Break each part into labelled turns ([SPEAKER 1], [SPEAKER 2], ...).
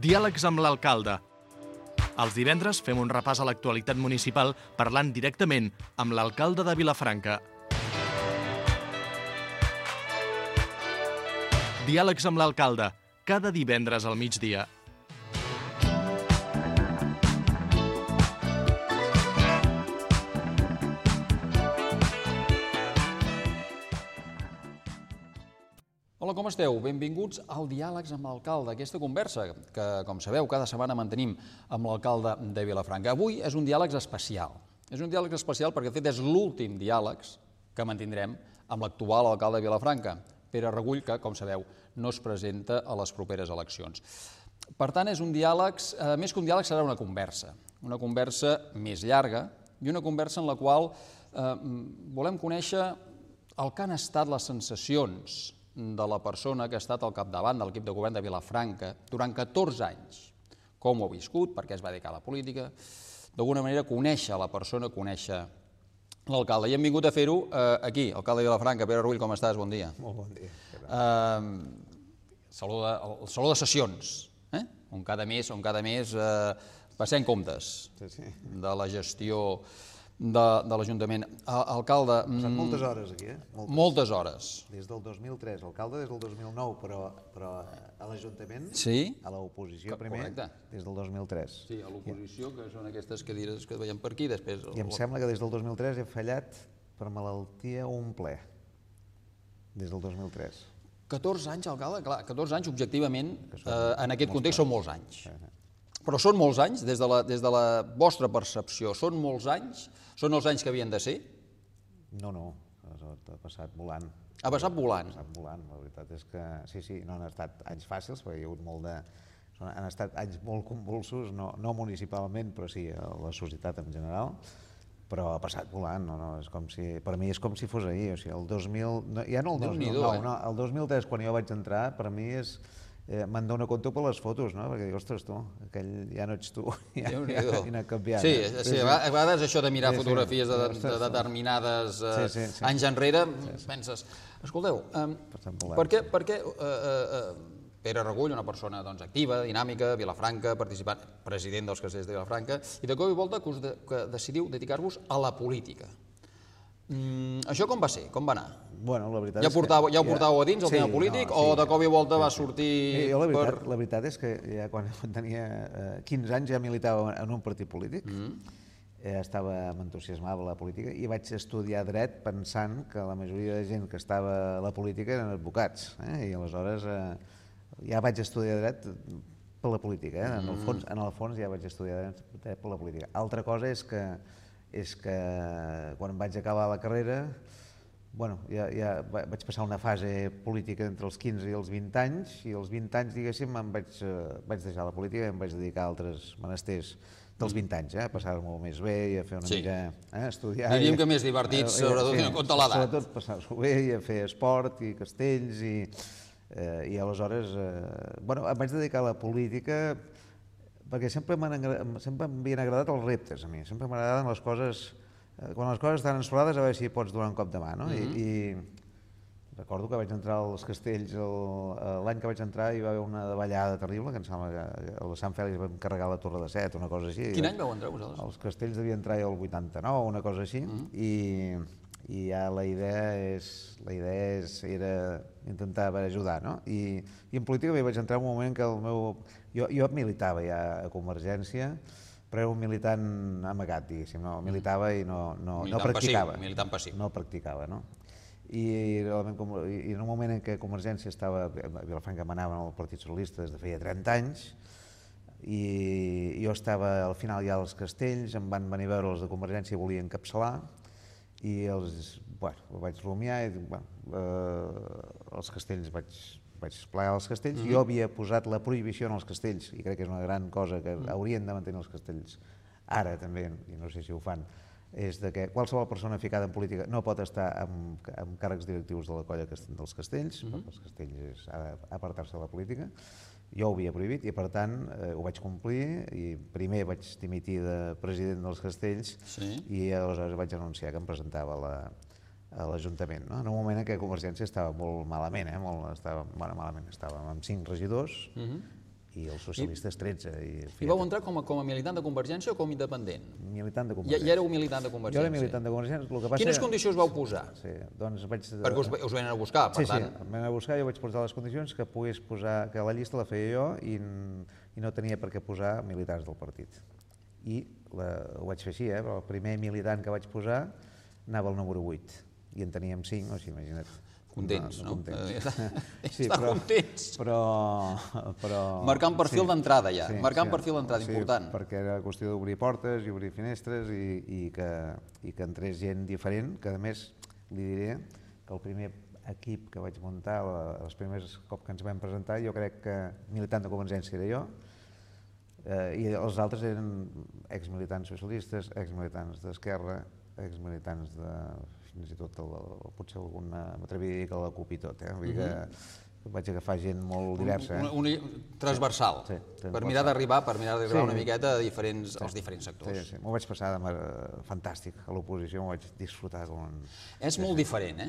[SPEAKER 1] Diàlegs amb l'alcalde. Els divendres fem un repàs a l'actualitat municipal parlant directament amb l'alcalde de Vilafranca. Diàlegs amb l'alcalde, cada divendres al migdia.
[SPEAKER 2] Hola, com esteu? Benvinguts al Diàlegs amb l'alcalde, aquesta conversa que, com sabeu, cada setmana mantenim amb l'alcalde de Vilafranca. Avui és un diàleg especial. És un diàleg especial perquè, de fet, és l'últim diàleg que mantindrem amb l'actual alcalde de Vilafranca, Pere Regull, que, com sabeu, no es presenta a les properes eleccions. Per tant, és un diàleg, més que un diàleg, serà una conversa més llarga i una conversa en la qual volem conèixer el que han estat les sensacions de la persona que ha estat al capdavant de l'equip de govern de Vilafranca durant 14 anys. Com ho ha viscut, per què es va dedicar a la política, d'alguna manera conèixer la persona, conèixer l'alcalde. I hem vingut a fer-ho aquí, alcalde de Vilafranca. Pere Rull, com estàs? Bon dia.
[SPEAKER 3] Molt bon dia.
[SPEAKER 2] El saló de sessions, on cada mes passem comptes de la gestió de l'Ajuntament. Alcalde...
[SPEAKER 3] Ha passat moltes hores aquí,
[SPEAKER 2] Moltes hores.
[SPEAKER 3] Des del 2003, alcalde des del 2009, però a l'Ajuntament, a l'oposició primer, des del 2003.
[SPEAKER 2] Sí, a l'oposició, que són aquestes cadires que veiem per aquí, després...
[SPEAKER 3] I em sembla que des del 2003 he fallat per malaltia un ple, des del 2003.
[SPEAKER 2] 14 anys, alcalde? Clar, 14 anys, objectivament, en aquest context són molts anys. Però són molts anys, des de la vostra percepció, són molts anys? Són els anys que havien de ser?
[SPEAKER 3] No, ha passat volant.
[SPEAKER 2] Ha passat volant?
[SPEAKER 3] Ha passat volant, la veritat és que sí, no han estat anys fàcils, perquè hi ha hagut molt de... Han estat anys molt convulsos, no municipalment, però sí a la societat en general, però ha passat volant, és com si... Per mi és com si fos ahir, o sigui, el 2000... Ja no el 2009, no, el 2003, quan jo vaig entrar, per mi és... Me'n dono compte per les fotos, no? Perquè dic, ostres, tu, aquell ja no ets tu, ja ha canviat.
[SPEAKER 2] Sí, a vegades això de mirar fotografies de determinades anys enrere, penses, escolteu, per què Pere Regull, una persona activa, dinàmica, Vilafranca, participant, president dels Castells de Vilafranca, i de cop i volta que decidiu dedicar-vos a la política. Això com va ser? Com va anar?
[SPEAKER 3] Bueno, la veritat
[SPEAKER 2] ja ho portàveu a dins, el tema polític, o de cop i volta va sortir...
[SPEAKER 3] La veritat és que ja quan tenia 15 anys ja militava en un partit polític, m'entusiasmava la política i vaig estudiar dret pensant que la majoria de gent que estava a la política eren advocats, i aleshores ja vaig estudiar dret per la política, en el fons ja vaig estudiar dret per la política. Altra cosa és que quan vaig acabar la carrera, ja vaig passar una fase política entre els 15 i els 20 anys, i als 20 anys, diguéssim, vaig deixar la política i em vaig dedicar a altres menesters dels 20 anys, a passar-m'ho més bé i a fer una mica... estudiar...
[SPEAKER 2] Diríem que més divertits, sobretot en compte l'edat.
[SPEAKER 3] Sobretot passar-s'ho bé i a fer esport i castells, i aleshores em vaig dedicar a la política perquè sempre m'havien agradat els reptes a mi, sempre m'agradaven les coses, quan les coses estan ensolades a veure si pots donar un cop de mà, no? I recordo que vaig entrar als Castells, l'any que vaig entrar hi va haver una davallada terrible, que em sembla que el Sant Fèlix vam carregar la Torre de Set, una cosa així.
[SPEAKER 2] Quin any vau entrar vosaltres?
[SPEAKER 3] Els Castells devia entrar el 89, una cosa així, i ja la idea era intentar ajudar, no? I en política vaig entrar en un moment que jo militava ja a Convergència, però era un militant amagat, diguéssim, no militava i no practicava.
[SPEAKER 2] Militant passiu.
[SPEAKER 3] No practicava, no? I en un moment en què Convergència estava, a Vilafranca manava el Partit Socialista des de feia 30 anys, i jo estava al final ja als Castells, em van venir a veure els de Convergència i volien encapçalar, i vaig rumiar i els Castells vaig plegar els Castells. Jo havia posat la prohibició en els Castells, i crec que és una gran cosa que haurien de mantenir els Castells ara també, i no sé si ho fan, és que qualsevol persona ficada en política no pot estar en càrrecs directius de la colla dels Castells, perquè els Castells ha d'apartar-se de la política. Jo ho havia prohibit i, per tant, ho vaig complir, i primer vaig dimitir de president dels Castells i aleshores vaig anunciar que em presentava a l'Ajuntament, en un moment en què Convergència estava molt malament, estava amb 5 regidors i els socialistes 13.
[SPEAKER 2] I vau entrar com a militant de Convergència o com a independent?
[SPEAKER 3] Militant de Convergència.
[SPEAKER 2] Ja éreu militant de Convergència?
[SPEAKER 3] Jo era militant de Convergència.
[SPEAKER 2] Quines condicions vau posar?
[SPEAKER 3] Sí, doncs vaig...
[SPEAKER 2] Perquè us venen a buscar, per tant.
[SPEAKER 3] Sí, em venen a buscar, jo vaig posar les condicions que pogués posar, que la llista la feia jo i no tenia per què posar militants del partit. I ho vaig fer així, però el primer militant que vaig posar anava al número 8 i en teníem 5, o sigui, imagina't.
[SPEAKER 2] Contents, no?
[SPEAKER 3] Sí,
[SPEAKER 2] estar contents.
[SPEAKER 3] Però...
[SPEAKER 2] Marcant perfil d'entrada ja, marcant perfil d'entrada, important.
[SPEAKER 3] Sí, perquè era qüestió d'obrir portes i obrir finestres i que entrés gent diferent, que a més li diré que el primer equip que vaig muntar, els primers cop que ens vam presentar, jo crec que militant de Convergència era jo, i els altres eren exmilitants socialistes, exmilitants d'Esquerra, exmilitants de... fins i tot potser m'atreviria a dir que la CUP i tot, vull dir que vaig agafar gent molt diversa.
[SPEAKER 2] Transversal, per mirar d'arribar una miqueta als diferents sectors.
[SPEAKER 3] Sí, m'ho vaig passar fantàstic, a l'oposició m'ho vaig disfrutar com...
[SPEAKER 2] És molt diferent,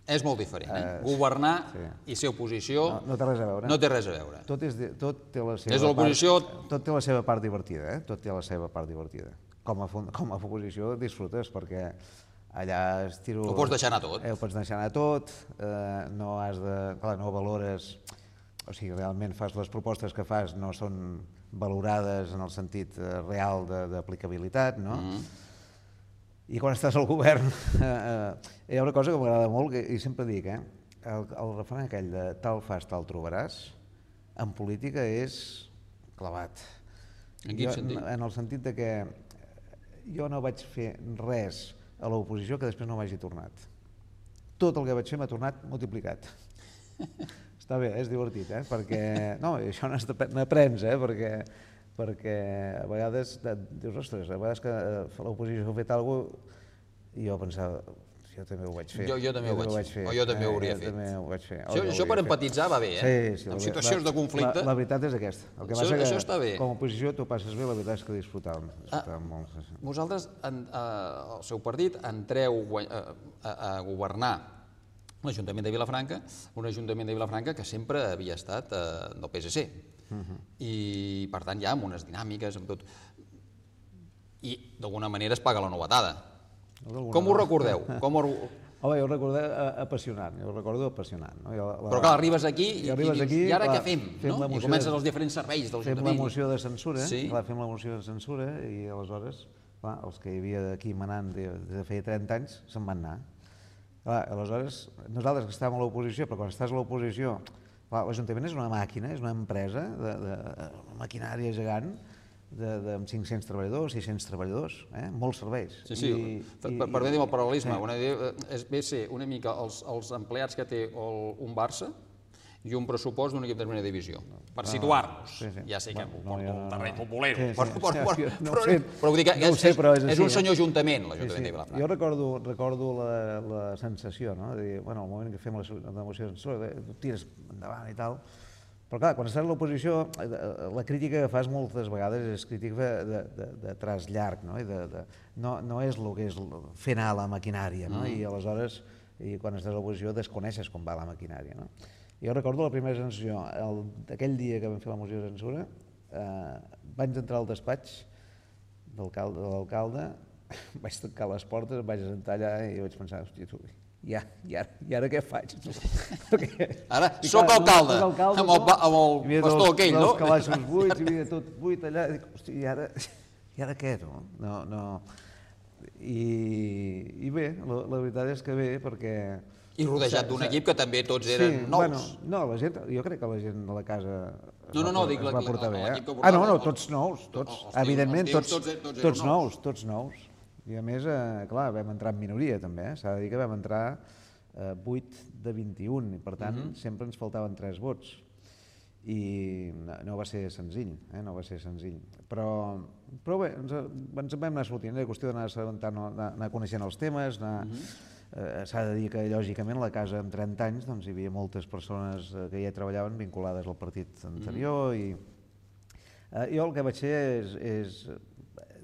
[SPEAKER 2] És molt diferent, Governar i ser oposició
[SPEAKER 3] no té res a veure.
[SPEAKER 2] No té res a veure.
[SPEAKER 3] Tot té la seva...
[SPEAKER 2] Des de l'oposició...
[SPEAKER 3] Tot té la seva part divertida, Tot té la seva part divertida. Com a oposició disfrutes, perquè allà estiro...
[SPEAKER 2] Ho pots deixar anar tot.
[SPEAKER 3] Ho pots deixar anar tot, no has de... Clar, no valores... O sigui, realment fas les propostes que fas no són valorades en el sentit real d'aplicabilitat, no? I quan estàs al govern hi ha una cosa que m'agrada molt i sempre dic, el refrany aquell de tal fas, tal trobaràs, en política és clavat.
[SPEAKER 2] En quin sentit?
[SPEAKER 3] En el sentit de que jo no vaig fer res a l'oposició que després no m'hagi tornat. Tot el que vaig fer m'ha tornat multiplicat. Està bé, és divertit, perquè... No, això n'aprens, perquè a vegades dius, ostres, a vegades que l'oposició ha fet alguna cosa i jo pensava, jo també ho vaig fer.
[SPEAKER 2] Jo també ho vaig fer, o jo també ho hauria fet.
[SPEAKER 3] També ho vaig fer.
[SPEAKER 2] Això per empatitzar va bé,
[SPEAKER 3] Sí.
[SPEAKER 2] En situacions de conflicte...
[SPEAKER 3] La veritat és aquesta.
[SPEAKER 2] Això està bé.
[SPEAKER 3] Com a oposició t'ho passes bé, la veritat és que disfrutàvem molt.
[SPEAKER 2] Vosaltres, el seu partit, entreu a governar l'Ajuntament de Vilafranca, un Ajuntament de Vilafranca que sempre havia estat del PSC. I, per tant, ja amb unes dinàmiques, amb tot... I, d'alguna manera, es paga la novetada. Com ho recordeu?
[SPEAKER 3] Home, jo ho recordo apassionant,
[SPEAKER 2] Però clar, arribes aquí i dius, i ara què fem? I comences els diferents serveis de l'Ajuntament.
[SPEAKER 3] Fem la moció de censura, i aleshores els que hi havia d'aquí manant des de feia 30 anys se'n van anar. Aleshores, nosaltres que estàvem a l'oposició, però quan estàs a l'oposició, l'Ajuntament és una màquina, és una empresa, una maquinària gegant, amb 500 treballadors, 600 treballadors, molts serveis.
[SPEAKER 2] Sí, permetem el paral·lelisme, ve a ser una mica els empleats que té un Barça i un pressupost d'un equip de primera divisió, per situar-nos. Ja sé que porto un terreny populero, però vull dir que és un senyor ajuntament, l'Ajuntament de Vilafranca.
[SPEAKER 3] Jo recordo la sensació, de dir, al moment que fem la moció de censura, tires endavant i tal, però clar, quan estàs a l'oposició, la crítica que fas moltes vegades és crítica de traç llarg, no és el que és fer anar la maquinària, i aleshores, quan estàs a l'oposició, desconeixes com va la maquinària. Jo recordo la primera sensació, aquell dia que vam fer la moció de censura, vaig entrar al despatx de l'alcalde, vaig tancar les portes, em vaig assentar allà i vaig pensar, hòstia, i ara què faig?
[SPEAKER 2] Ara soc alcalde, amb el bastó aquell, no?
[SPEAKER 3] Els calaixos buits, hi havia tot buit allà, i dic, hòstia, i ara què, no? I bé, la veritat és que bé, perquè...
[SPEAKER 2] I rodejat d'un equip que també tots eren nous.
[SPEAKER 3] No, jo crec que la gent de la casa
[SPEAKER 2] es
[SPEAKER 3] va portar bé. No, tots nous, evidentment, tots nous. I a més, clar, vam entrar en minoria també, s'ha de dir que vam entrar 8 de 21 i per tant sempre ens faltaven 3 vots i no va ser senzill, però bé, ens vam anar sortint, era qüestió d'anar coneixent els temes, s'ha de dir que lògicament a la casa amb 30 anys hi havia moltes persones que ja treballaven vinculades al partit anterior i jo el que vaig fer és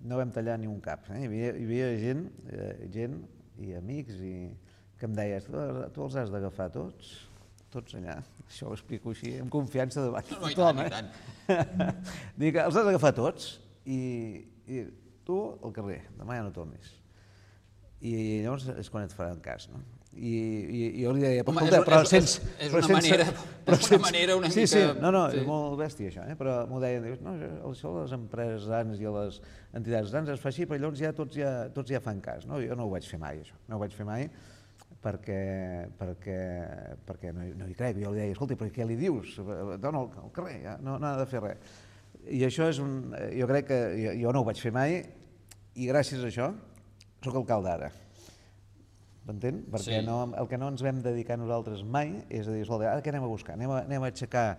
[SPEAKER 3] no vam tallar ni un cap. Hi havia gent i amics que em deien, tu els has d'agafar tots tots allà. Això ho explico així, amb confiança davant de
[SPEAKER 2] No, i
[SPEAKER 3] tothom.
[SPEAKER 2] tant.
[SPEAKER 3] Dic, els has d'agafar tots i tu al carrer, demà ja no tornis. I llavors és quan et faran cas, no? I jo li deia,
[SPEAKER 2] Home,
[SPEAKER 3] però sense...
[SPEAKER 2] és una manera una mica...
[SPEAKER 3] Sí, no, és molt bèstia això, però m'ho deien, no, això a les empreses grans i a les entitats grans es fa així, però llavors ja tots ja fan cas, no? Jo no ho vaig fer mai, això, no ho vaig fer mai, perquè no hi crec. Jo li deia, escolta, però què li dius? Dona al carrer, ja, no ha de fer res. I això és jo crec que jo no ho vaig fer mai i gràcies a això soc alcalde ara. M'entén? Perquè el que no ens vam dedicar nosaltres mai és a dir, escolta, ara què anem a buscar? Anem a aixecar,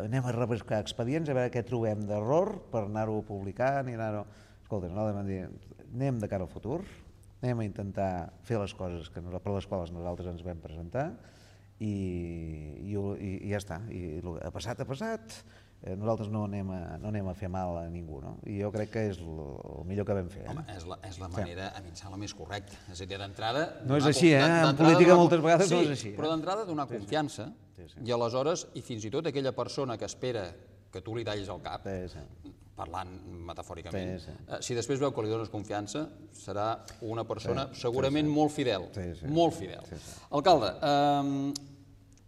[SPEAKER 3] anem a rebuscar expedients, a veure què trobem d'error per anar-ho publicant i anar-ho... Escolta, nosaltres vam dir, anem de cara al futur, anem a intentar fer les coses per les quals nosaltres ens vam presentar i ja està. I ha passat, nosaltres no anem a fer mal a ningú, no? I jo crec que és el millor que vam fer.
[SPEAKER 2] Home, és la manera, a mi em sembla, més correcta. És a dir, d'entrada...
[SPEAKER 3] No és així, en política moltes vegades no és així.
[SPEAKER 2] Sí, però d'entrada donar confiança i aleshores, i fins i tot aquella persona que espera que tu li tallis el cap, parlant metafòricament, si després veu que li dones confiança, serà una persona segurament molt fidel, molt fidel. Alcalde,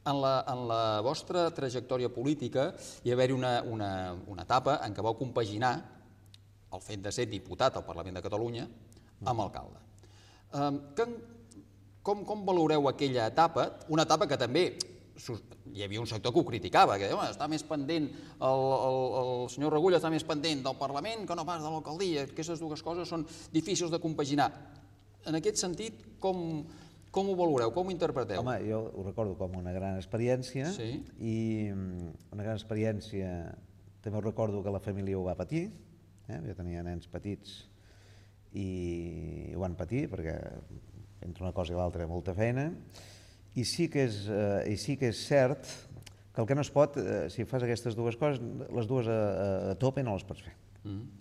[SPEAKER 2] en la vostra trajectòria política hi va haver-hi una etapa en què vau compaginar el fet de ser diputat al Parlament de Catalunya amb alcalde. Com valoreu aquella etapa? Una etapa que també hi havia un sector que ho criticava, que està més pendent, el senyor Regull està més pendent del Parlament que no pas de l'alcaldia, aquestes dues coses són difícils de compaginar. En aquest sentit, com ho valoreu, com ho interpreteu?
[SPEAKER 3] Home, jo ho recordo com una gran experiència i una gran experiència, també ho recordo que la família ho va patir, jo tenia nens petits i ho van patir perquè entre una cosa i l'altra molta feina i sí que és cert que el que no es pot, si fas aquestes dues coses, les dues a tope no les pots fer.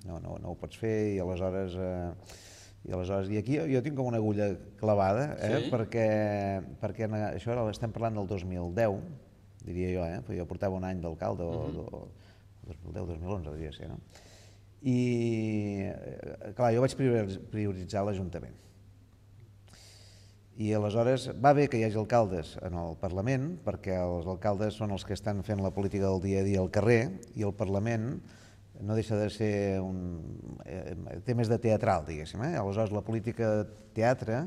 [SPEAKER 3] No ho pots fer i aleshores aquí jo tinc com una agulla clavada, perquè això estem parlant del 2010, diria jo, perquè jo portava un any d'alcalde, 2010-2011 diria ser, no? I, clar, jo vaig prioritzar l'Ajuntament. I aleshores va bé que hi hagi alcaldes en el Parlament, perquè els alcaldes són els que estan fent la política del dia a dia al carrer, i el Parlament no deixa de ser té més de teatral, diguéssim. Aleshores la política teatre,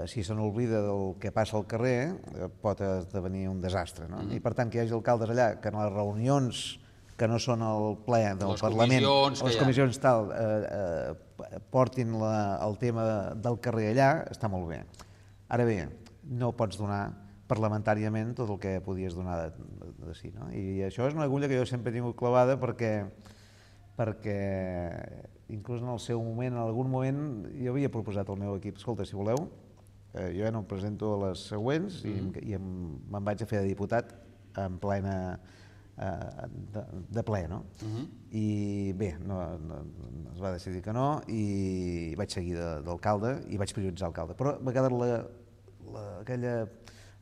[SPEAKER 3] si se n'oblida del que passa al carrer, pot esdevenir un desastre. I per tant que hi hagi alcaldes allà que en les reunions que no són el ple del Parlament, les comissions tal, portin el tema del carrer allà, està molt bé. Ara bé, no pots donar parlamentàriament tot el que podies donar de si, no? I això és una agulla que jo sempre he tingut clavada perquè inclús en el seu moment, en algun moment, jo havia proposat al meu equip, escolta, si voleu, jo ja no em presento a les següents i me'n vaig a fer de diputat en plena de ple, no? I bé, es va decidir que no i vaig seguir d'alcalde i vaig prioritzar alcalde. Però m'ha quedat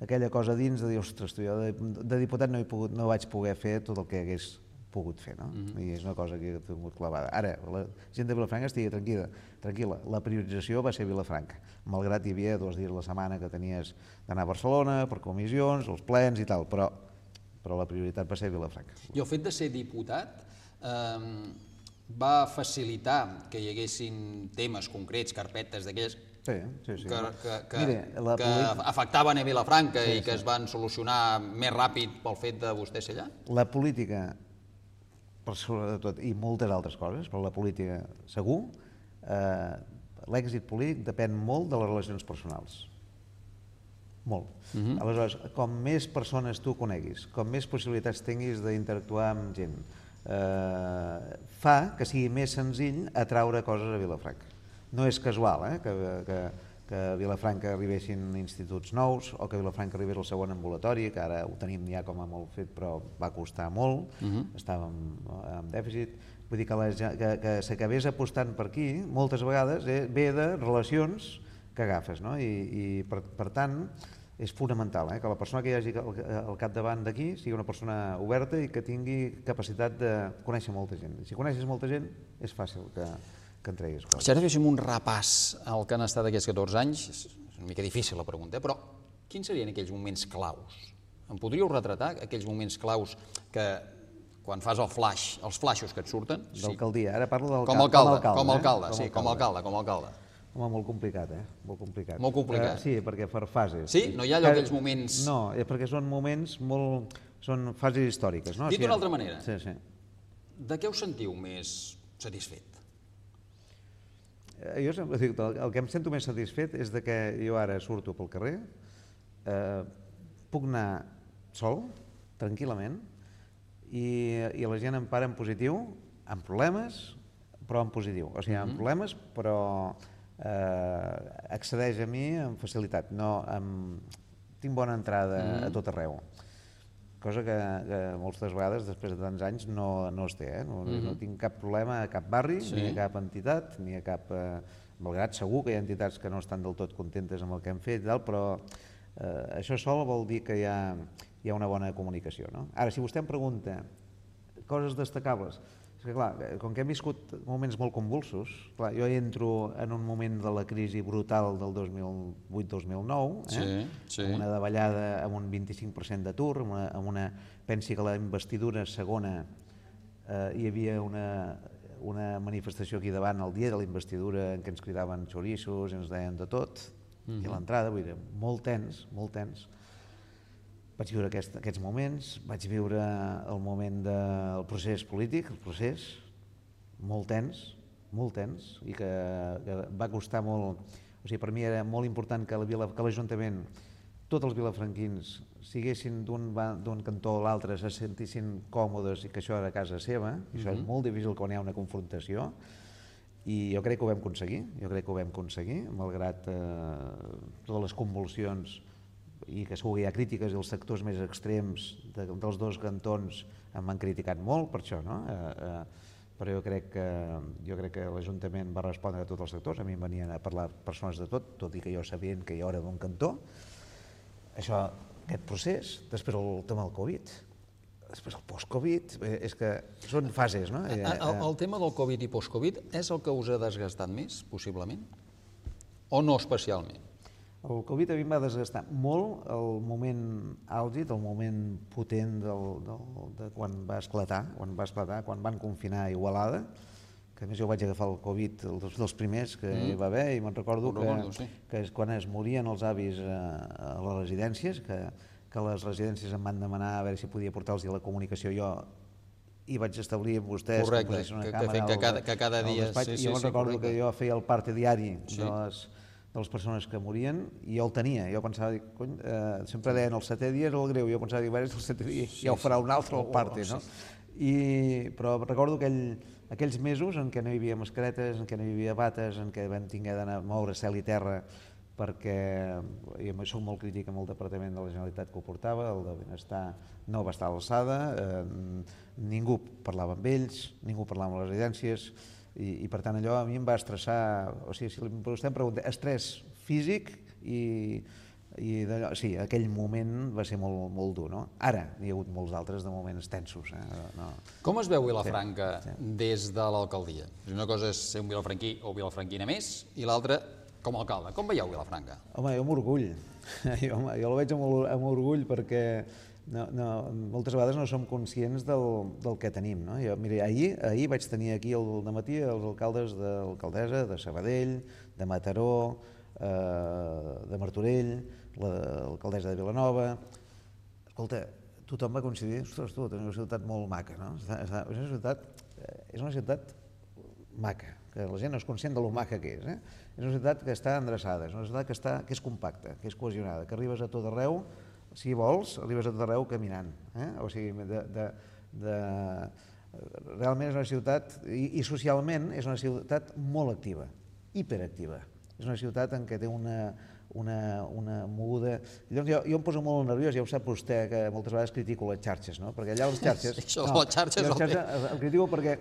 [SPEAKER 3] aquella cosa dins de dir, ostres, jo de diputat no vaig poder fer tot el que hagués pogut fer, no? I és una cosa que he tingut clavada. Ara, la gent de Vilafranca estigui tranquil·la. La priorització va ser Vilafranca, malgrat hi havia 2 dies a la setmana que tenies d'anar a Barcelona per comissions, els plens i tal, però la prioritat va ser Vilafranca.
[SPEAKER 2] I el fet de ser diputat va facilitar que hi haguessin temes concrets, carpetes d'aquelles que afectaven a Vilafranca i que es van solucionar més ràpid pel fet de vostè ser allà?
[SPEAKER 3] La política, per sobretot, i moltes altres coses, però la política segur, l'èxit polític depèn molt de les relacions personals. Molt. Aleshores, com més persones tu coneguis, com més possibilitats tinguis d'interactuar amb gent, fa que sigui més senzill atraure coses a Vilafranca. No és casual que a Vilafranca arribessin instituts nous o que a Vilafranca arribés el segon ambulatori, que ara ho tenim ja com a molt fet, però va costar molt, estàvem en dèficit. Vull dir que s'acabés apostant per aquí, moltes vegades ve de relacions que agafes, no? I per tant, és fonamental, que la persona que hi hagi al capdavant d'aquí sigui una persona oberta i que tingui capacitat de conèixer molta gent. Si coneixes molta gent, és fàcil que en treguis coses.
[SPEAKER 2] Si ara féssim un repàs al que han estat aquests 14 anys, és una mica difícil la pregunta, però quins serien aquells moments claus? Em podríeu retratar aquells moments claus que, quan fas el flash, els flashos que et surten...
[SPEAKER 3] D'alcaldia, ara parlo
[SPEAKER 2] com a alcalde.
[SPEAKER 3] Home, molt complicat, Molt complicat.
[SPEAKER 2] Molt complicat?
[SPEAKER 3] Sí, perquè per fases.
[SPEAKER 2] Sí? No hi ha allò aquells moments...
[SPEAKER 3] No, perquè són moments molt... són fases històriques, no?
[SPEAKER 2] Dit d'una altra manera,
[SPEAKER 3] sí.
[SPEAKER 2] De què us sentiu més satisfet?
[SPEAKER 3] Jo sempre dic, el que em sento més satisfet és que jo ara surto pel carrer, puc anar sol, tranquil·lament, i la gent em para en positiu, amb problemes, però en positiu. O sigui, amb problemes, però accedeix a mi amb facilitat. Tinc bona entrada a tot arreu, cosa que moltes vegades, després de tants anys, no es té. No tinc cap problema a cap barri, ni a cap entitat, ni a cap... Malgrat segur que hi ha entitats que no estan del tot contentes amb el que hem fet, però això sol vol dir que hi ha una bona comunicació. Ara, si vostè em pregunta coses destacables, és que clar, com que hem viscut moments molt convulsos, jo entro en un moment de la crisi brutal del 2008-2009, amb una davallada amb un 25% d'atur, pensi que la investidura segona hi havia una manifestació aquí davant el dia de la investidura en què ens cridaven xorissos i ens deien de tot, i a l'entrada, vull dir, molt tens. Vaig viure aquests moments, vaig viure el moment del procés polític, molt tens, i que va costar molt. O sigui, per mi era molt important que l'Ajuntament, tots els vilafranquins, siguessin d'un cantó a l'altre, se sentissin còmodes i que això era casa seva, i això és molt difícil quan hi ha una confrontació, i jo crec que ho vam aconseguir, malgrat totes les convulsions i que segur que hi ha crítiques i els sectors més extrems dels dos cantons em van criticat molt per això, però jo crec que l'Ajuntament va respondre a tots els sectors, a mi em venien a parlar persones de tot i que jo sabien que jo era d'un cantó. Aquest procés, després el tema del Covid, després el post-Covid, és que són fases, no?
[SPEAKER 2] El tema del Covid i post-Covid és el que us ha desgastat més, possiblement? O no especialment?
[SPEAKER 3] El Covid a mi em va desgastar molt el moment àlgid, el moment potent de quan va esclatar, quan van confinar a Igualada, que a més jo vaig agafar el Covid, dels primers que hi va haver, i me'n recordo que quan es morien els avis a les residències, que les residències em van demanar a veure si podia portar-los la comunicació, jo hi vaig establir amb vostès que posessin una càmera
[SPEAKER 2] que cada dia...
[SPEAKER 3] I jo me'n recordo que jo feia el parte diari de les persones que morien, i jo el tenia. Jo pensava, sempre deien el 7è dia és el greu, jo pensava, el 7è dia ja ho farà un altre el parte, no? Però recordo aquells mesos en què no hi havia mascaretes, en què no hi havia bates, en què vam haver d'anar a moure cel i terra, perquè jo soc molt crític amb el Departament de la Generalitat que ho portava, el de Benestar no va estar a l'alçada, ningú parlava amb ells, ningú parlava amb les residències, i per tant allò a mi em va estressar, o sigui, si vostè em pregunta, estrès físic sí, aquell moment va ser molt dur, no? Ara n'hi ha hagut molts altres de moments tensos.
[SPEAKER 2] Com es veu Vilafranca des de l'alcaldia? Una cosa és ser un vilafranquí o vilafranquina més, i l'altra com a alcalde. Com veieu Vilafranca?
[SPEAKER 3] Home, jo amb orgull. Jo la veig amb orgull perquè moltes vegades no som conscients del que tenim. Mira, ahir vaig tenir aquí al dematí els alcaldes de l'alcaldessa de Sabadell, de Mataró, de Martorell, l'alcaldessa de Vilanova. Escolta, tothom va coincidir, ostres, tu, tens una ciutat molt maca, no? És una ciutat maca, que la gent no és conscient de lo maca que és. És una ciutat que està endreçada, és una ciutat que és compacta, que és cohesionada, que arribes a tot arreu, si vols, arribes a tot arreu caminant. O sigui, realment és una ciutat, i socialment és una ciutat molt activa, hiperactiva. És una ciutat en què té una moguda. Llavors jo em poso molt nerviós, ja ho sap vostè, que moltes vegades critico les xarxes, no? Perquè allà les xarxes...
[SPEAKER 2] Això, les xarxes...
[SPEAKER 3] El critico perquè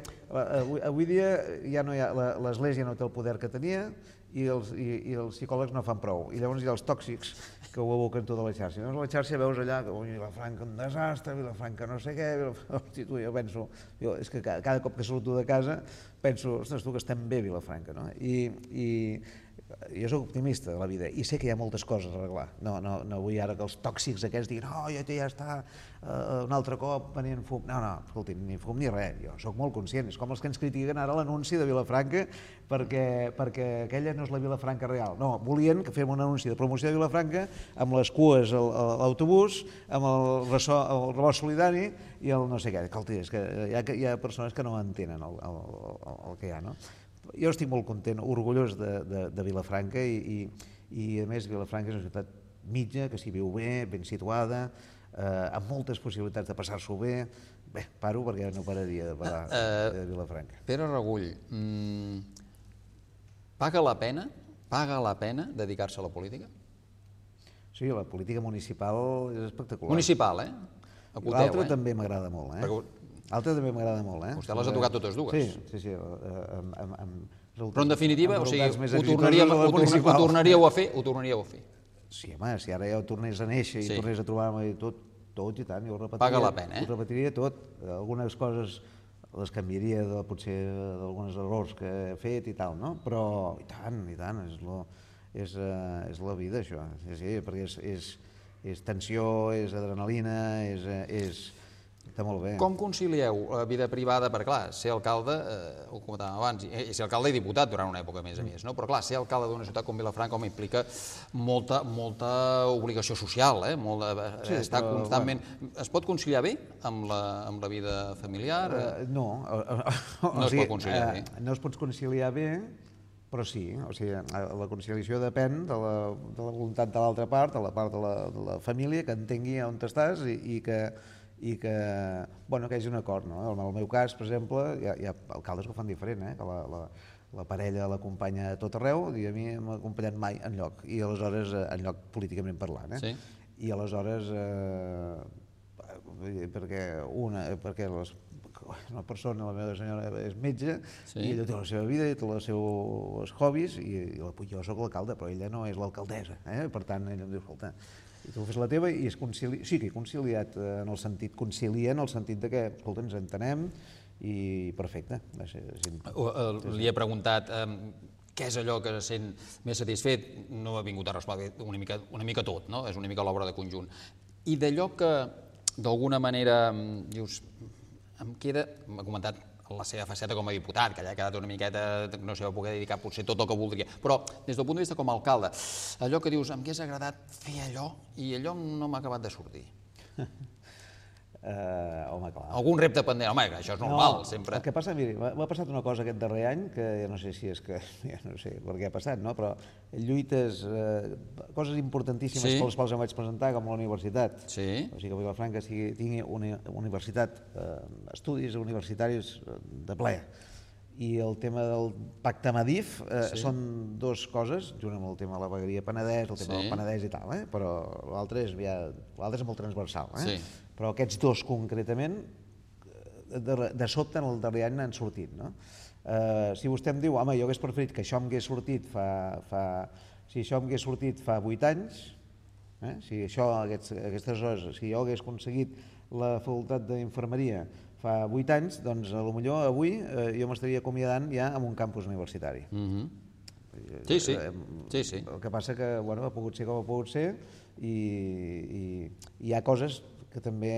[SPEAKER 3] avui dia ja no hi ha... L'Església no té el poder que tenia i els psicòlegs no fan prou. I llavors hi ha els tòxics que ho aboquen tota la xarxa. Llavors a la xarxa veus allà que Vilafranca un desastre, Vilafranca no sé què... Hosti, tu, jo penso... És que cada cop que surto de casa penso, ostres, tu, que estem bé a Vilafranca, no? I jo soc optimista de la vida i sé que hi ha moltes coses a arreglar. No vull ara que els tòxics aquests diguin ja està un altre cop venint fum. No, escolti, ni fum ni res. Jo soc molt conscient. És com els que ens critiquen ara l'anunci de Vilafranca perquè aquella no és la Vilafranca real. No, volien que fem un anunci de promoció de Vilafranca amb les cues a l'autobús, amb el rebost solidari i el no sé què. Escolti, és que hi ha persones que no entenen el que hi ha, no? Jo estic molt content, orgullós de Vilafranca i a més Vilafranca és una ciutat mitja, que s'hi viu bé, ben situada, amb moltes possibilitats de passar-s'ho bé. Bé, paro perquè no pararia de parlar de Vilafranca.
[SPEAKER 2] Pere Regull, paga la pena dedicar-se a la política?
[SPEAKER 3] Sí, la política municipal és espectacular.
[SPEAKER 2] Municipal,
[SPEAKER 3] L'altra també m'agrada molt, L'altra també m'agrada molt,
[SPEAKER 2] Vostè les ha tocat totes dues.
[SPEAKER 3] Sí.
[SPEAKER 2] Però en definitiva, o sigui, ho tornaríeu a fer?
[SPEAKER 3] Sí, home, si ara ja ho tornés a néixer i tornés a trobar-me i tot i tant, jo ho repetiria.
[SPEAKER 2] Paga la pena,
[SPEAKER 3] Ho repetiria tot. Algunes coses les canviaria potser d'alguns errors que he fet i tal, no? Però i tant, és la vida, això. Sí, perquè és tensió, és adrenalina, està molt bé.
[SPEAKER 2] Com concilieu la vida privada? Perquè, clar, ser alcalde, ho comentàvem abans, i ser alcalde i diputat durant una època, a més, no? Però, clar, ser alcalde d'una ciutat com Vilafranca implica molta obligació social, estar constantment... Es pot conciliar bé amb la vida familiar?
[SPEAKER 3] No.
[SPEAKER 2] No es pot conciliar bé?
[SPEAKER 3] No es pot conciliar bé, però sí. O sigui, la conciliació depèn de la voluntat de l'altra part, de la part de la família, que entengui on estàs i que hi hagi un acord. En el meu cas, per exemple, hi ha alcaldes que ho fan diferent, que la parella l'acompanya a tot arreu i a mi no m'ha acompanyat mai enlloc, i aleshores enlloc políticament parlant. I aleshores, perquè una persona, la meva senyora, és metge i ella té la seva vida i té els seus hobbies i jo soc l'alcalde, però ella no és l'alcaldessa. Per tant, ella em diu, escolta, i tu fes la teva i sí que he conciliat en el sentit de que, escolta, ens entenem i perfecte.
[SPEAKER 2] Li he preguntat què és allò que se sent més satisfet, no ha vingut a respondre una mica tot, no? És una mica l'obra de conjunt. I d'allò que d'alguna manera dius, em queda, m'ha comentat la seva faceta com a diputat, que allà ha quedat una miqueta, no s'hi va poder dedicar potser tot el que voldria, però des del punt de vista com a alcalde, allò que dius, m'hagués agradat fer allò i allò no m'ha acabat de sortir.
[SPEAKER 3] Home, clar.
[SPEAKER 2] Algun repte pendent, home, això és normal, sempre.
[SPEAKER 3] El que passa, miri, m'ha passat una cosa aquest darrer any, que ja no sé si és que, ja no sé per què ha passat, no? Però lluites, coses importantíssimes per les quals em vaig presentar, com la universitat. O sigui que Vilafranca tingui una universitat, estudis universitaris de ple. I el tema del pacte Madif són dues coses, junt amb el tema de la vegueria Penedès, el tema del Penedès i tal, però l'altre és molt transversal. Però aquests dos concretament, de sobte en el darrer any n'han sortit. Si vostè em diu, home, jo hagués preferit que això m'hagués sortit fa 8 anys, si aquestes hores, si jo hagués aconseguit la facultat d'infermeria fa 8 anys, doncs potser avui jo m'estaria acomiadant ja amb un campus universitari.
[SPEAKER 2] Sí.
[SPEAKER 3] El que passa que ha pogut ser com ha pogut ser i hi ha coses que també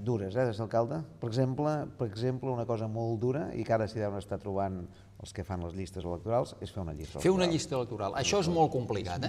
[SPEAKER 3] dures, des d'alcalde. Per exemple, una cosa molt dura i que ara s'hi deuen estar trobant els que fan les llistes electorals és fer una llista electoral.
[SPEAKER 2] Fer una llista electoral. Això és molt complicat,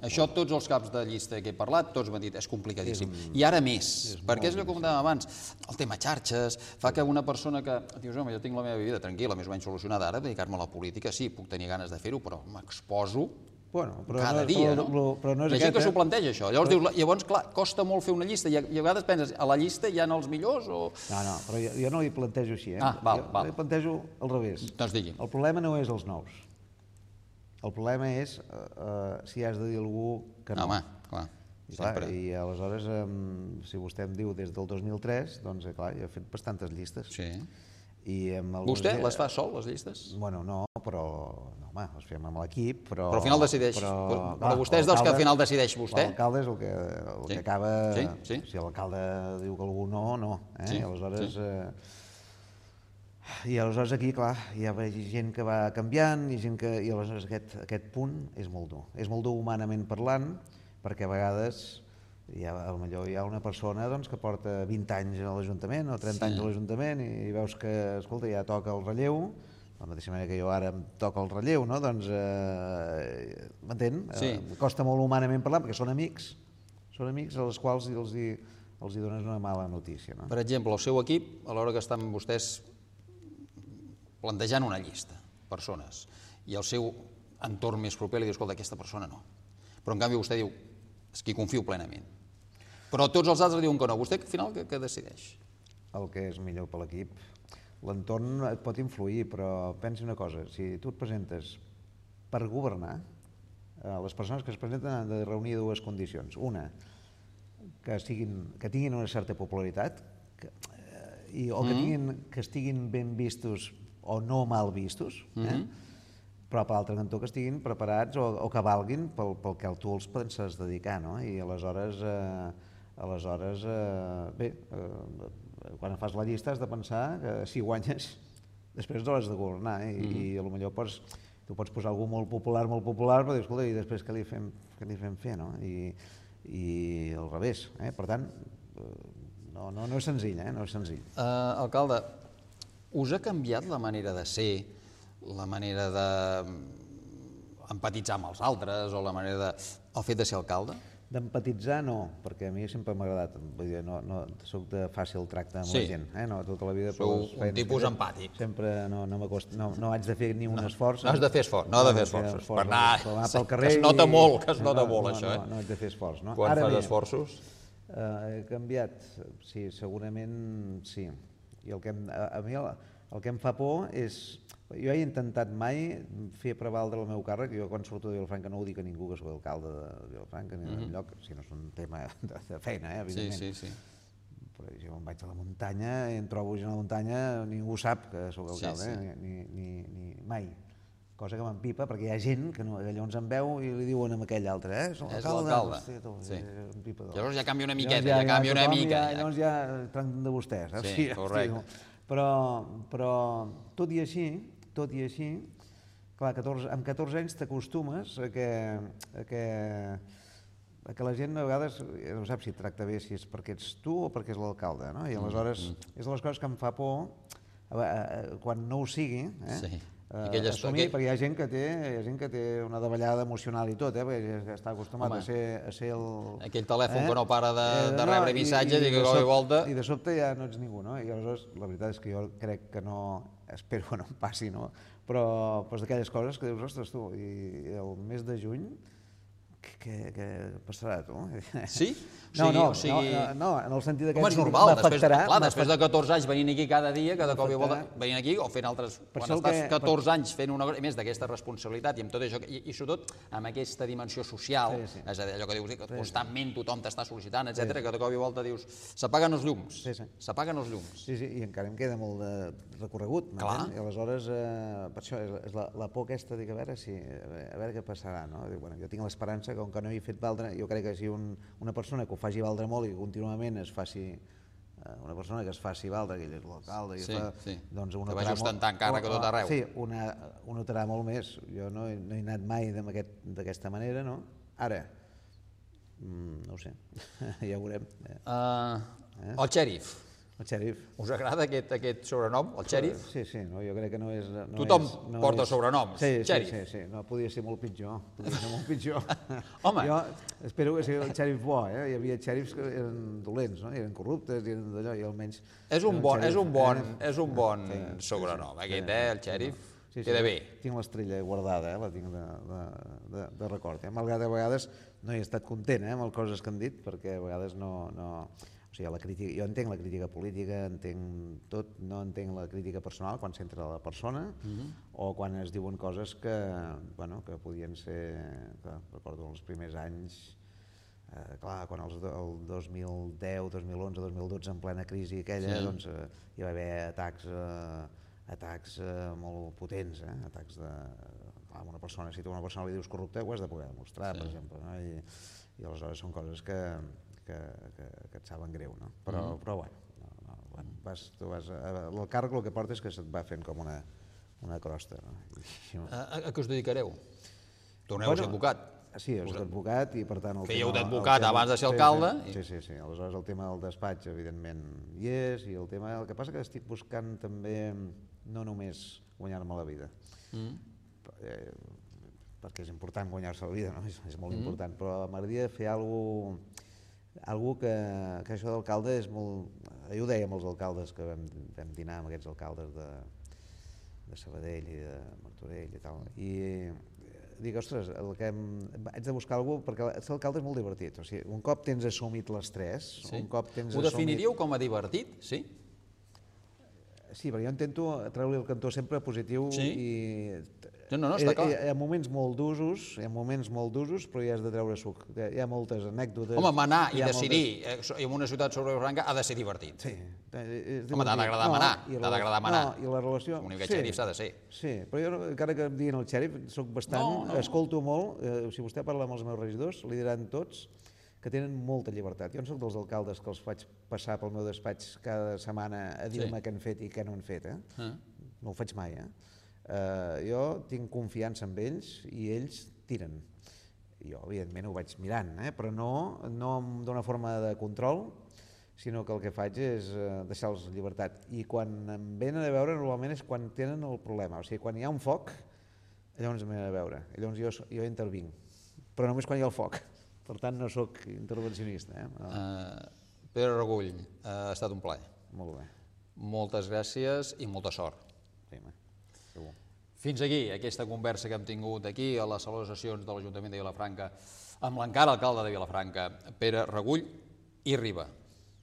[SPEAKER 2] Això tots els caps de llista que he parlat, tots m'han dit, és complicadíssim. I ara més, perquè és el que comentàvem abans, el tema xarxes, fa que una persona que dius, home, jo tinc la meva vida tranquil·la, més o menys solucionada, ara dedicar-me a la política, sí, puc tenir ganes de fer-ho, però m'exposo cada dia, no? Hi ha gent que s'ho planteja, això. Llavors, clar, costa molt fer una llista i a vegades penses, a la llista hi ha els millors o...
[SPEAKER 3] No, però jo no li plantejo així,
[SPEAKER 2] Val.
[SPEAKER 3] Jo li plantejo al revés.
[SPEAKER 2] Doncs digui.
[SPEAKER 3] El problema no és els nous. El problema és si has de dir a algú que no.
[SPEAKER 2] Home, clar, sempre.
[SPEAKER 3] I aleshores, si vostè em diu des del 2003, doncs clar, jo he fet bastantes llistes.
[SPEAKER 2] Sí.
[SPEAKER 3] Vostè
[SPEAKER 2] les fa sol, les llistes?
[SPEAKER 3] Bueno, no, però home, les fem amb l'equip, però...
[SPEAKER 2] Però al final decideix. Però vostè és dels que al final decideix vostè?
[SPEAKER 3] L'alcalde és el que acaba...
[SPEAKER 2] Sí.
[SPEAKER 3] Si l'alcalde diu que algú no, no.
[SPEAKER 2] Sí.
[SPEAKER 3] I aleshores aquí, clar, hi ha gent que va canviant i gent que... I aleshores aquest punt és molt dur. És molt dur humanament parlant, perquè a vegades potser hi ha una persona que porta 20 anys a l'Ajuntament o 30 anys a l'Ajuntament i veus que, escolta, ja toca el relleu, de la mateixa manera que jo ara em toca el relleu, no? Doncs, m'entén? Costa molt humanament parlar, perquè són amics als quals els dones una mala notícia. No?
[SPEAKER 2] Per exemple, el seu equip, a l'hora que estan vostès plantejant una llista, persones, i el seu entorn més proper li diu, escolta, aquesta persona no. Però en canvi vostè diu, és qui confio plenament. Però tots els altres diuen que no. Vostè, al final, què decideix?
[SPEAKER 3] El que és millor per l'equip. L'entorn et pot influir, però pensi una cosa, si tu et presentes per governar, les persones que es presenten han de reunir dues condicions. Una, que tinguin una certa popularitat, o que estiguin ben vistos o no mal vistos, però per l'altre cantó que estiguin preparats o que valguin pel que tu els penses dedicar, no? I aleshores, quan fas la llista has de pensar que si guanyes, després no has de governar, i potser tu pots posar algú molt popular, però dius, escolta, i després què li fem fer, no? I al revés, per tant, no és senzill, no és senzill.
[SPEAKER 2] Alcalde, us ha canviat la manera de ser, la manera d'empatitzar amb els altres o la manera el fet de ser alcalde?
[SPEAKER 3] D'empatitzar no, perquè a mi sempre m'ha agradat, vull dir, no soc de fàcil tracte amb la gent, no, tota la vida...
[SPEAKER 2] Sou un tipus empàtic.
[SPEAKER 3] Sempre no haig de fer ni un esforç.
[SPEAKER 2] No has de fer esforç, no has de fer esforços. Per anar pel carrer... Es nota molt, això, eh?
[SPEAKER 3] No haig de fer esforç, no?
[SPEAKER 2] Quan fas esforços?
[SPEAKER 3] He canviat, sí, segurament sí. I a mi el que em fa por és... Jo he intentat mai fer prevaldre el meu càrrec, jo quan surto de Vilafranca no ho dic a ningú que soc alcalde de Vilafranca ni enlloc, si no és un tema de feina, evidentment.
[SPEAKER 2] Sí.
[SPEAKER 3] Però jo em vaig a la muntanya i em trobo gent a la muntanya, ningú sap que soc alcalde, ni mai. Cosa que m'empipa, perquè hi ha gent que llavors em veu i li diuen a aquell altre,
[SPEAKER 2] és l'alcalde. Llavors ja canvia una miqueta,
[SPEAKER 3] llavors ja tracten de vostès.
[SPEAKER 2] Sí, correcte.
[SPEAKER 3] Però tot i així, clar, amb 14 anys t'acostumes a que la gent a vegades no sap si et tracta bé, si és perquè ets tu o perquè és l'alcalde, no? I aleshores és de les coses que em fa por quan no ho sigui, assumir, perquè hi ha gent que té una davallada emocional i tot, perquè està acostumat a ser el...
[SPEAKER 2] Aquell telèfon que no para de rebre missatges i que cop i volta...
[SPEAKER 3] I de sobte ja no ets ningú, no? I aleshores la veritat és que jo crec que no... Espero que no em passi, no? Però és d'aquelles coses que dius, ostres, tu, i el mes de juny què passarà, tu?
[SPEAKER 2] Sí?
[SPEAKER 3] No, en el sentit que...
[SPEAKER 2] Home, és normal, després de 14 anys venint aquí cada dia, cada cop i volta, venint aquí o fent altres... Quan estàs 14 anys fent una cosa, més d'aquesta responsabilitat i amb tot això, i sobretot amb aquesta dimensió social, és a dir, allò que dius, que constantment tothom t'està sol·licitant, etcètera, que de cop i volta dius, s'apaguen els llums, s'apaguen els llums.
[SPEAKER 3] Sí, i encara em queda molt de recorregut, i aleshores, per això, és la por aquesta, dic, a veure què passarà, no? Jo tinc l'esperança que com que no he fet valdre, jo crec que si una persona que ho faci valdre molt i continuament es faci una persona que es faci valdre, que ell és l'alcalde,
[SPEAKER 2] que vagi ostentant càrrec a tot arreu.
[SPEAKER 3] Sí, ho notarà molt més. Jo no he anat mai d'aquesta manera, no? Ara, no ho sé, ja ho veurem.
[SPEAKER 2] El xèrif.
[SPEAKER 3] El xèrif.
[SPEAKER 2] Us agrada aquest sobrenom, el xèrif?
[SPEAKER 3] Sí, jo crec que no és...
[SPEAKER 2] Tothom porta sobrenoms, xèrif.
[SPEAKER 3] Sí, no, podia ser molt pitjor,
[SPEAKER 2] Home!
[SPEAKER 3] Jo espero que sigui el xèrif bo, Hi havia xèrifs que eren dolents, no? Eren corruptes, i eren d'allò, i almenys...
[SPEAKER 2] És un bon sobrenom, aquest, el xèrif. Queda bé.
[SPEAKER 3] Tinc l'estrella guardada, la tinc de record. Malgrat a vegades no he estat content amb les coses que han dit, perquè a vegades no... O sigui, jo entenc la crítica política, entenc tot, no entenc la crítica personal quan s'entra a la persona o quan es diuen coses que podien ser, recordo els primers anys, clar, quan el 2010, 2011, 2012, en plena crisi aquella, doncs hi va haver atacs molt potents, atacs de... Clar, una persona, si tu a una persona li dius corrupte, ho has de poder demostrar, per exemple, no? I aleshores són coses que et saben greu, no? Però bueno, el càrrec el que porta és que se't va fent com una crosta.
[SPEAKER 2] A què us dedicareu? Torneu a ser advocat?
[SPEAKER 3] Sí, jo soc advocat i per tant...
[SPEAKER 2] Fèieu d'advocat abans de ser alcalde?
[SPEAKER 3] Sí, aleshores el tema del despatx evidentment hi és i el que passa que estic buscant també no només guanyar-me la vida, perquè és important guanyar-se la vida, no? És molt important, però m'agradaria fer alguna que això d'alcalde és molt... Jo ho dèiem als alcaldes que vam dinar amb aquests alcaldes de Sabadell i de Martorell i tal, i dic, ostres, haig de buscar alguna cosa, perquè ser alcalde és molt divertit, o sigui, un cop tens assumit l'estrès, un cop tens assumit...
[SPEAKER 2] Ho definiríeu com a divertit, sí?
[SPEAKER 3] Sí, perquè jo intento treure-li el cantó sempre positiu i...
[SPEAKER 2] No, està clar.
[SPEAKER 3] Hi ha moments molt d'usos, però hi has de treure suc. Hi ha moltes anècdotes...
[SPEAKER 2] Home, manar i decidir en una ciutat sobre Franca ha de ser divertit.
[SPEAKER 3] Sí.
[SPEAKER 2] Home, t'ha d'agradar manar. T'ha d'agradar manar.
[SPEAKER 3] No, i la relació...
[SPEAKER 2] Com una mica xèrif s'ha de ser.
[SPEAKER 3] Sí, però jo, encara que em diguin el xèrif, soc bastant... Escolto molt. Si vostè parla amb els meus regidors, li diran tots que tenen molta llibertat. Jo no soc dels alcaldes que els faig passar pel meu despatx cada setmana a dir-me què han fet i què no han fet. No ho faig mai. Jo tinc confiança en ells i ells tiren. Jo, evidentment, ho vaig mirant, però no d'una forma de control, sinó que el que faig és deixar-los llibertat. I quan em venen a veure, normalment és quan tenen el problema. O sigui, quan hi ha un foc, llavors em venen a veure. Llavors jo intervinc, però només quan hi ha el foc. Per tant, no sóc intervencionista.
[SPEAKER 2] Pere Regull, ha estat un plaer.
[SPEAKER 3] Molt bé.
[SPEAKER 2] Moltes gràcies i molta sort.
[SPEAKER 3] Sí, segur.
[SPEAKER 2] Fins aquí aquesta conversa que hem tingut aquí a les sala de sessions de l'Ajuntament de Vilafranca amb l'encara alcalde de Vilafranca, Pere Regull i Riba.